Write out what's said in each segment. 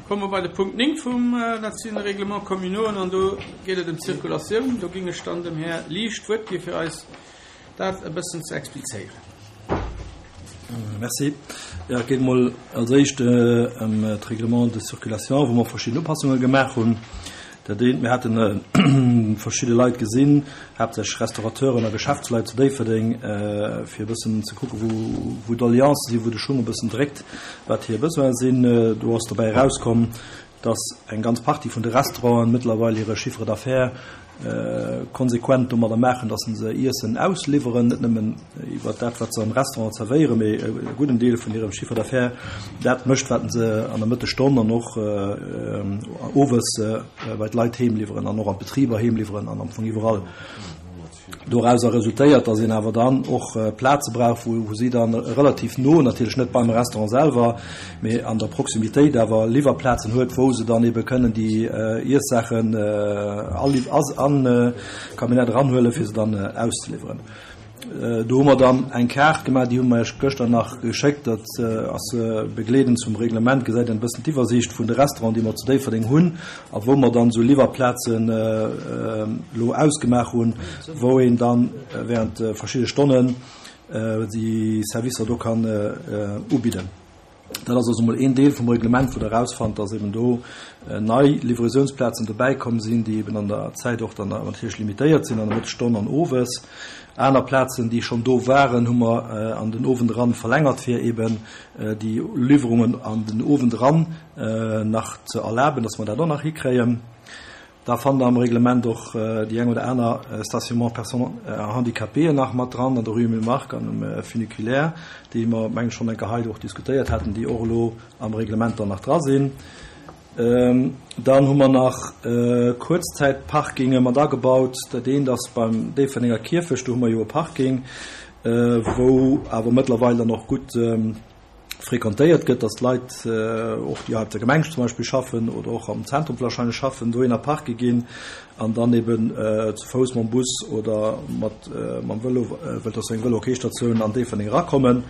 Komme mer bei de Punkt 9 vum, dat sinn Règlements communauxen an do geet et ëm d'Zirkulatioun. Do géing ech dann dem Här Liesch d'Wuert gi fir eis dat e bëssen ze explizéieren. Merci. Jo, et geet emol als éischt ëm d'Règlement de circulation, wou mer verschidden Upassunge gemaach hunn. Dat eent, mir haten verschidde Leit gesinn, haaptsächlech Restaurateuren a Geschäftsleit zu Déifferdeng, fir e bëssen ze kucken, wou, wou d'Doleancen sinn, wou de Schung e bëssen dréckt, wat hir Besoine sinn. Do ass dobäi erauskomm, dass eng ganz Partie vun de Restauranten mëttlerweil hire Chiffre d'affaires konsequent domadder maachen, dass se Iessen ausliwweren, net nëmmen iwwer dat, wat se am Restaurant zerwéieren, mee e gudden Deel vun hirem Chiffre d'affaires dat mécht, wat se an der Mëttesstonn an och owes bei d'Leit heem liwweren an och an d'Betriber heem liwweren an am Fong iwwerall. Dorauser resultéiert, dass een awer dann och Plaze brauch, wou si dann relativ no, natierlech net beim Restaurant selwer, mee an der Proximitéit awer Liwwerplazen huet, wou se dann ebe kënnen déi Iessaachen an d'Camionnette eranhuelen, fir se dann auszeliwweren. Do hu mer dann eng Kaart gemaach, déi hu mer Iech gëschter nach geschéckt. Dat ass begleedend zum Reglement, gesäit een e bëssen d'Iwwersiicht vun de Restauranten, déi mer zu Déifferdeng hunn a wou mer dann esou Liwwerplazen elo ausgemaach hunn, wou een dann während verschidde Stonnen déi Servicer do kann ubidden. Dat ass also emol een Deel vum Reglement, wou Der erausfannt, dass eben do nei Livraisiounsplazen dobäikomm sinn, déi eben an der Zäit och dann natierlech limitéiert sinn, an der Mëttesstonn an owes. Aner Plazen, déi schonn do waren, hu mer an den Owend eran verlängert, fir eben déi Liwwerungen an den Owend eran nach ze erlaben, dass mer dat och nach hikréien. Da fannt Der am Reglement och déi eng oder aner Stationnement personnes handicapées nach mat dran, an der Rue Emile Mark an um Funiculaire, déi mer, mengen ech, schonn eng Kéier hei och diskutéiert haten, déi och elo am Reglement dann nach dra sinn. Dann hu mer nach Kuerzzäitparkinge mat agebaut. Dat eent ass beim Déifferdenger Kierfecht, do hu mer jo e Parking, wou awer mëttlerweil dann och gutt fréquentéiert gëtt, dass d'Leit och, déi hei op der Gemeng zum Beispill schaffen oder och am Zentrum wahrscheinlech schaffen, dohinner parke ginn an dann eben zu Fouss mam Bus oder mat mam Vëlo, well et ass jo eng Vëlo-Ok-Statioun, an Déifferdeng erakommen.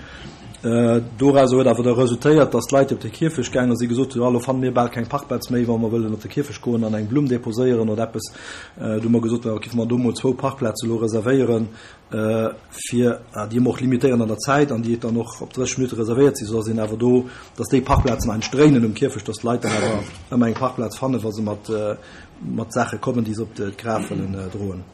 Dorauser huet awer da resultéiert, dass d'Leit, déi op de Kierfecht gaange sinn, gesot hunn, Ah, elo fanne mir bal keng Parkplaz méi, wa mer wëllen op de Kierfecht goen an eng Blumm deposéieren oder eppes. Du hu mer gesot, Da géife mer do mol zwou Parkplaze elo reservéieren, fir déi emol och limitéieren an der Zäit an déi dann och op 30 Minutte reservéiert sinn, soudass een awer do, dass déi Parkplazen eigentlech dréinen um Kierfecht, dass d'Leit dann awer ëmmer eng Parkplaz fannen, wa se mat, mat Saache kommen, déi se op d'Graf wëllen droen.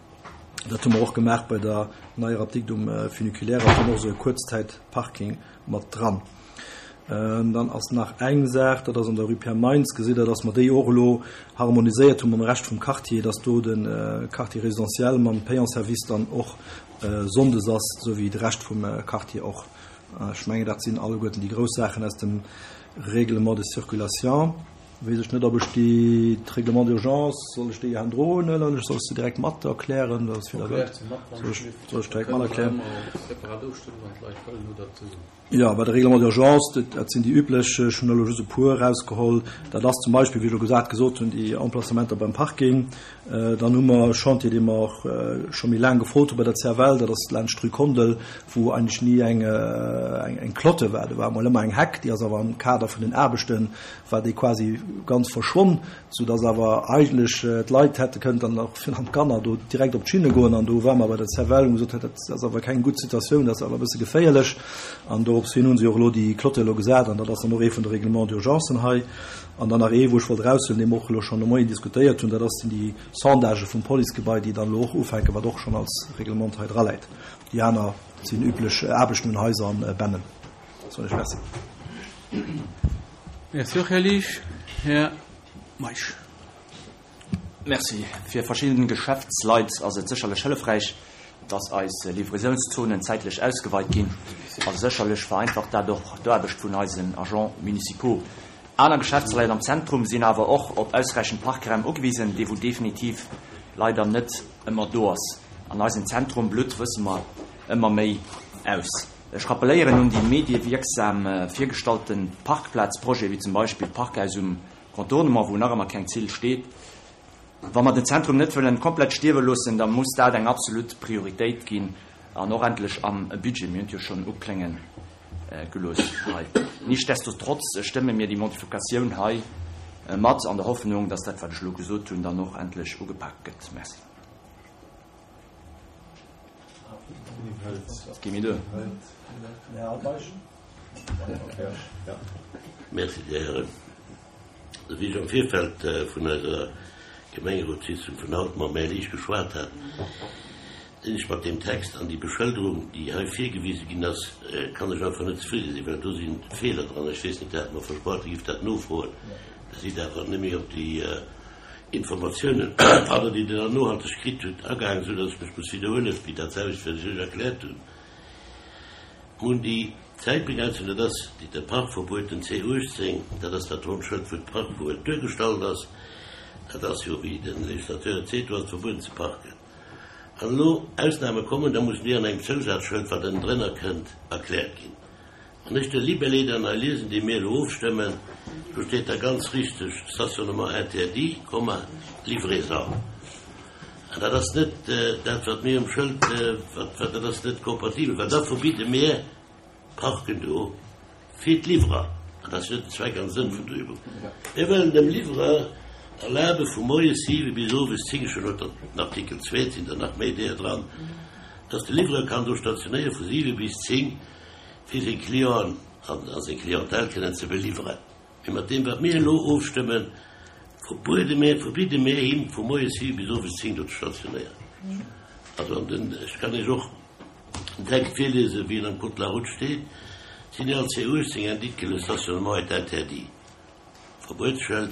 Dat hu mer och gemaach bei der neier Apdikt um Funiculaire, ass dann och esou e Kuerzzäitparking mat dran. Dann ass nach eng Saach, dat ass an der Rue Pierre Meintz, gesitt Der, dass mer déi och elo harmoniséiert hu mam Rescht vum Quartier, dass do de Quartier résidentiel mam Payant-service dann och sonndes ass, esou wéi de Rescht vum Quartier och. Ech mengen, dat sinn alleguerten déi grouss Saachen aus dem Règlement de circulation. Weess ech net, ob ech déi, d'Règlement d'urgence, soll ech déi hendroen huelen oder soll ech se direkt mat erklären? Soll ech direkt mat erklären? Jo, bei de Règlements d'urgence, dat sinn déi üblech, ech hunn elo just e puer erausgeholl. Dat ass zum Beispill, wéi ech elo gesat gesot hunn, déi Emplacementer beim Parking. Dann hu mer e Chantier, dee mer och scho méi laang gefrot hu bei der CFL, dat ass laanscht d'Rue Kondel, wou eigentlech ni eng eng Clotte war. Do war emol ëmmer eng Heck, déi ass awer am Kader vun den Aarbechte war déi quasi ganz verschwonn. Sou dass awer eigentlech d'Leit hätte kënnen dann och virun allem d'Kanner do direkt op d'Schinne goen. An do ware mer bei der CFL, hu gesot, dat ass awer keng gutt Situatioun, dat ass awer e bësse geféierlech. An dorops hin hu se och elo déi Clotte elo gesat an dat ass dann och ee vun de Règlements d'urgencen hei. An dann nach ee, wou ech wollt eraushuelen, dee mer och elo schonn de Moien diskutéiert hunn, dat ass sinn déi Sondagë vum Policegebai, déi dann elo och ufänken, wat och schonn als Reglement hei draläit. Déi aner sinn üblech Aarbechten un Haiser an Bennen. Soen ech Merci. Merci och, Här Liesch. Här Meisch. Merci. Fir verschidden Geschäftsleit ass et sécherlech hëllefräich, dass eis Livraisounszonen zäitlech ausgeweit ginn a sécherlech vereinfacht dat och d'Aarbecht vun eisen Agents municipaux. Aner Geschäftsleit am Zentrum sinn awer och op ausräichend Parkraum ugewisen, dee wou definitiv leider net ëmmer do ass. An eisen Zentrum blutt, wësse mer, ëmmer méi aus. Ech rappeléieren un déi mediewierksam virgestallte Parkplazprojete wéi zum Beispill d'Parkhaus um Contournement, wou nach ëmmer keng Zill steet. Wa mer den Zentrum net wëllen komplett stierwe loossen, da muss dat eng absolut Prioritéit ginn an och endlech am Budget. Mir hunn et jo schonn uklénge gelooss hei. Nichtsdestotrotz stëmme mir déi Modifikatioun hei. mat an der Hoffnung, dass dat, wat ech elo gesot hunn, dann och endlech ugepaakt gëtt. Merci. Merci, Dir Hären. Wéi ech am Virfeld vun eiser Gemengerotssitzung vun haut mam Här Liesch geschwat hat, sinn ech mat deem Text an déi Beschëlderung, déi hei virgewise ginn ass, kann ech einfach net zefridde sinn, well do si Feeler dran. Ech weess net, Der hat mer versprach, Dir gift dat nofroen. Der sidd awer net méi op déi Informatiounen, pardon, déi Der dann nohalteg kritt hutt, agaangen, soudass ech mech muss widderhuelen, wéi dat selwecht, wat ech Iech erkläert hunn. Mir hunn déi Zäitbegrenzung, dat ass déi de Parkverbuet, den C18, dat ass dat ronnt Schëld, wou d'Parkverbuet duergestallt ass. Dat ass jo, wéi de Législateur et seet, do ass et verbueden ze parken. Wann elo Ausname kommen, da mussen déi an engem Zousazschëld, wat ënnendrënner kënnt, erkläert ginn. Wann ech de Libellé dann hei liesen, dee mir elo ofstëmmen, do steet da ganz richteg Stationnement interdit, Komma, livraison. An dat ass net dat, wat mir um Schëld, wat, wat, dat ass net kompatibel, well da verbidde mir Parken do fir d'Liwwerer. An dat ass jo net den Zweck an Sënn vun der Übung. Mir wëllen dem Liwwerer erlabe vu moies 7 bis owes 10, ech hunn elo den Artikel 2, et sinn der nach méi deeër dran, dass de Liwwerer kann do stationéiere vu 7 bis 10, fir seng Clienten a seng Clientèle kënnen ze beliwweren. Mee mat deem, wat mir elo ofstëmmen, verbuede mir, verbidde mir him, vu moies 7 bis owes 10 do ze stationéieren. Also, an den, ech kann Iech och den Text virliesen, wéi en am Code de la route steet, Signal C18 indique que le stationnement est interdit. Verbuetsschëld,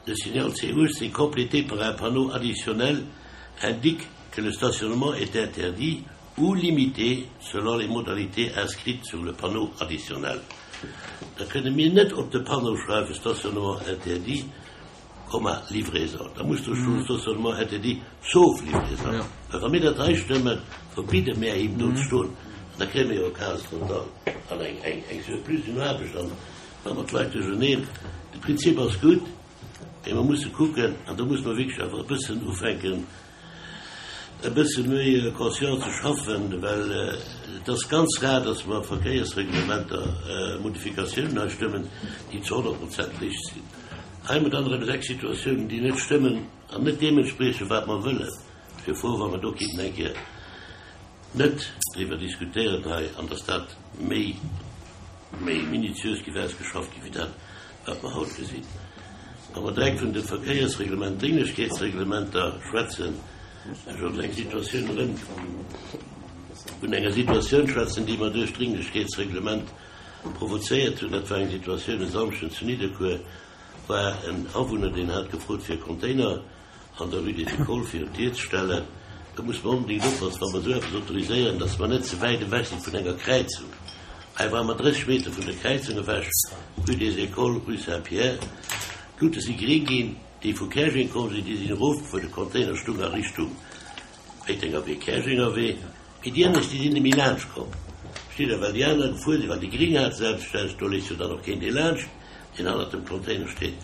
Le signal C18 complété par un panneau additionnel indique que le stationnement est interdit ou limité selon les modalités inscrites sur le panneau additionnel. Da kënne mir net op de Panneau schreiwen Stationnement interdit, Komma, livraison. Da muss do stoen Stationnement interdit sauf livraison. Well wa mir dat hei stëmmen, verbidde mir him do ze stoen. An da kréie mir jo e Chaos total an eng, eng, eng Surplus un Aarbecht an da mat Leit duercherneen. De Prinzip ass gutt, mee mer musse kucken, an do musse mer wierklech awer e bëssen ufänken, e bësse méi conscient ze schaffen, well et ass ganz rar, dass mer Verkéiersreglementer, Modifikatiounen hei stëmmen, déi zu 100 Prozent richteg sinn. Hei hu mer dann erëm 6 Situatiounen, déi net stëmmen an net deem entspriechen, wat mer wëllen. Ech wier frou, wa mer do kéinten eng Kéier net driwwer diskutéieren hei an dass dat méi, méi minutiös géif ausgeschafft ginn, wéi dat, wat mer haut gesinn. Wa mer direkt vun de Verkéiersreglement, Drénglechkeetsreglementer schwätzen, ech wollt eng Situatioun erëm vun enger Situatioun schwätzen, déi mer duerch d'Drénglechkeetsreglement provozéiert hunn. Dat war eng Situatioun e Samschden zu Nidderkuer, war en Awunner, deen hat gefrot fir e Container an der Rue des Écoles virun d'Dier ze stellen. Do musse mer onbedéngt oppassen, wa mer esou eppes autoriséieren, dass mer net ze wäit ewech si vun enger Kräizung. Hei ware mer 30 Meter vun der Kräizung ewech, Rue des Écoles, Rue Saint-Pierre. D'Lute si gréng ginn, déi vu Käerjeng komm sinn, déi sinn erofgefuer, de Container stung a Richtung Péitenger Wee, Käerjenger Wee. Mee déi anescht, déi sinn net méi laanscht komm. Versteet Der, well déi aner gefuer sinn, well déi gréng hate selbstverständlech, do léisst jo dann och keen dee laanscht, deen hannert dem Container steet.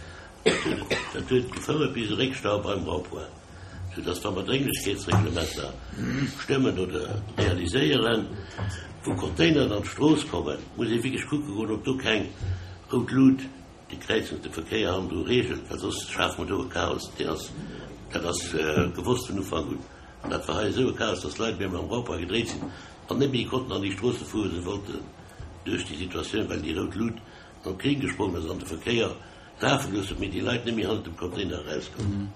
Dat huet gefouert bis e Réckstau beim Rond-point, soudass wa mer Drénglechkeetsreglementer stëmmen oder realiséieren, wou Containeren an d'Strooss kommen, muss ee wierklech kucke goen, ob do keng rout Lut déi Kräizung, de Verkéier hannendru reegelt, well soss schafe mer do e Chaos, deen ass, dat ass gewosst vun Ufank un. An dat war hei esou e Chaos, dass d'Leit méi am Rond-point gedréit sinn an net méi konnten an déi Stroosse fueren, wou se wollten, duerch déi Situatioun, well déi rout Lut op gréng gesprongen ass an de Verkéier Lafe gelooss huet, mee déi Leit net méi hannert dem Container erauskoumen.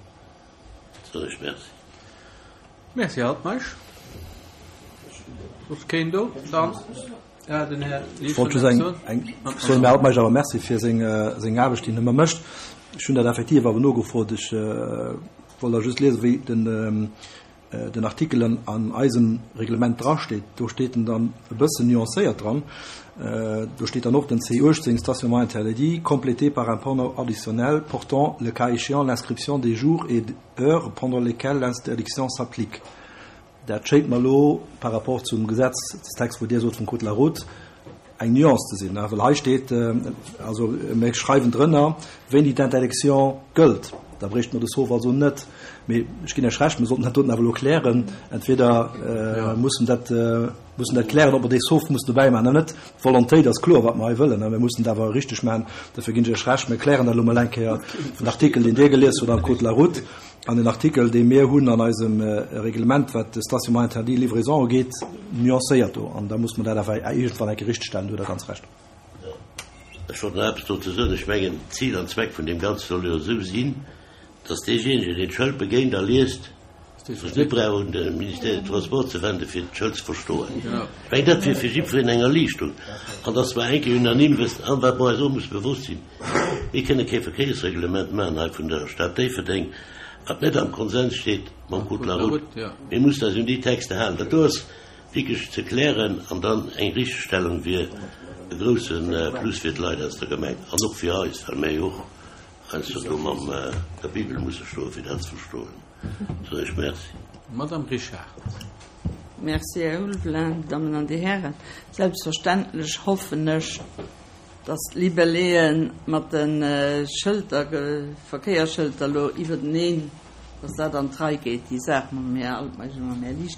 Soen ech Merci. Merci, Här Altmeisch. Soss keen do? Dann, ja, den Här Ech wollt just eng, eng, soen dem Här Altmeisch awer Merci fir seng, seng Aarbecht, déi en ëmmer mécht. Ech hunn dat effektiv awer nogefrot. Ech wollt da just liesen, wéi den, den Artikel an eisem Reglement drasteet, do steet en dann e bëssen nuancéiert dran. Do steet dann och den C18, Stationnement interdit, complété par un panneau additionnel portant, le cas échéant, l'inscription des jours et heures pendant lesquels l'interdiction s'applique. Dat schéngt mer elo par rapport zum Gesetzestext, wou Dir sot, vum Code de la route, eng Nuance ze sinn, well hei steet, also mir schreiwen drënner, wéini d'Interdiction gëllt. Da bréichte mer de Sauf also net. Mee ech ginn Iech Recht, mir sollten dat doten awer elo klären. Entweder mussen dat, mussen dat klären, ob mer dee Sauf mussen dobäi maachen oder net. D'Volontéit ass kloer, wat mer hei wëllen. Mir mussen et awer richteg maachen. Dofir ginn ech Iech Recht, mir klären dat elo mol eng Kéier. Den Artikel, deen Dir gelies hutt am Code de la route an den Artikel, dee mir hunn an eisem Reglement, wat de Stationnement interdit, livraison ugeet, nuancéiert do. An da muss mer dat awer iergendwann eng Kéier richteg stellen. Do hutt Der ganz Recht. Ech wollt nach eppes dozou soen. Ech mengen, Zil an Zweck vun deem Ganze soll jo esou sinn, dass deejéinegen, deen d'Schëld begéint a liest, sech net brauch un de Ministère des Transports ze wenden, fir d'Schëld ze verstoen. Ech mengen, dat wier fir jiddwereen eng Erliichtung. An dass mer eng Kéier unanime wëssen, an wat mer eis och musse bewosst sinn, Mir kënne kee Verkéiersreglement maachen hei vun der Stad Déifferdeng, wat net am Konsens steet mam Code de la route. Mir mussen eis un déi Texter halen. Dat do ass wierklech ze klären an dann eng Richtegstellung wier e grousse Plus fir d'Leit aus der Gemeng an och fir eis, well mir jo och heiansdo do mam der Bibel musse stoen, fir dat ze verstoen. Soen ech Merci. Madame Richard. Merci, Här Ulveling. Dammen an Dir Hären, selbstverständlech hoffen ech, dass d'Libelléeë mat de Schëlter, Verkéierschëlter elo iwwerteneen, dass dat an d'Rei geet, déi Saach mam Här Altmeisch a mam Här Liesch.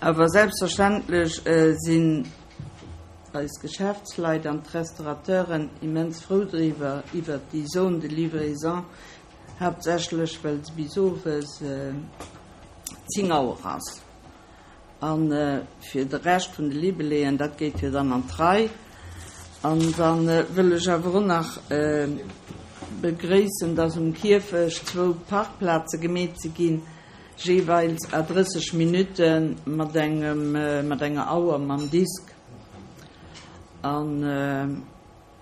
Awer selbstverständlech sinn eis Geschäftsleit an d'Restaurateuren immens frou driwwer, iwwert déi Zone de livraison, haaptsächlech well se bis owes 10 Auer ass. A fir de Rescht vun de Libelléen, dat geet jo dann an d'Rei. An da wëll ech awer och nach begréissen, dass um Kierfecht zwou Parkplaze gemeet si ginn, jeeweils à 30 Minutte mat engem, mat enger Auer mam Disk. An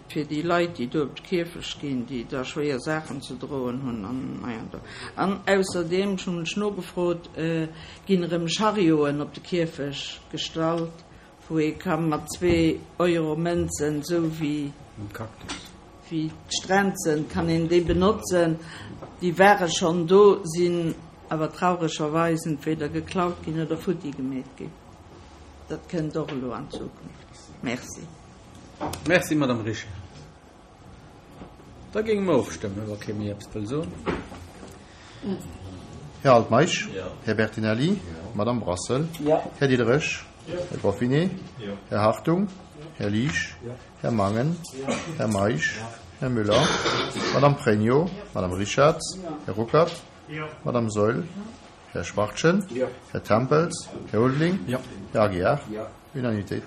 fir déi Leit, déi do op de Kierfecht ginn, déi da schwéier Saachen ze droen hunn an hei an do. An ausserdeem, ech hunn lech nogefrot, ginn erëm Charioten op de Kierfecht gestallt, wou ee ka mat zwee Euro Mënzen, esou wéi wéi d'Strenzen, kann een déi benotzen. Déi ware schonn do, sinn awer trauregerweis entweder geklaut ginn oder futti gemeet ginn. Dat kënnt och elo an Zukunft. Merci. Merci, Madame Richard. Da géinge mer ofstëmmen, wa kee méi eppes wëll soen. Här Altmeisch? Här Bertinelli? Madame Brassel? Här Diderich? Här Goffinet? Här Hartung? Här Liesch? Här Mangen? Här Meisch? Här Müller? Madame Pregno? Madame Richarz? Här Ruckert? Madame Saeul? Här Schwachtgen? Här Tempels? Här Ulveling? Här Aguiar? Unanimitéit.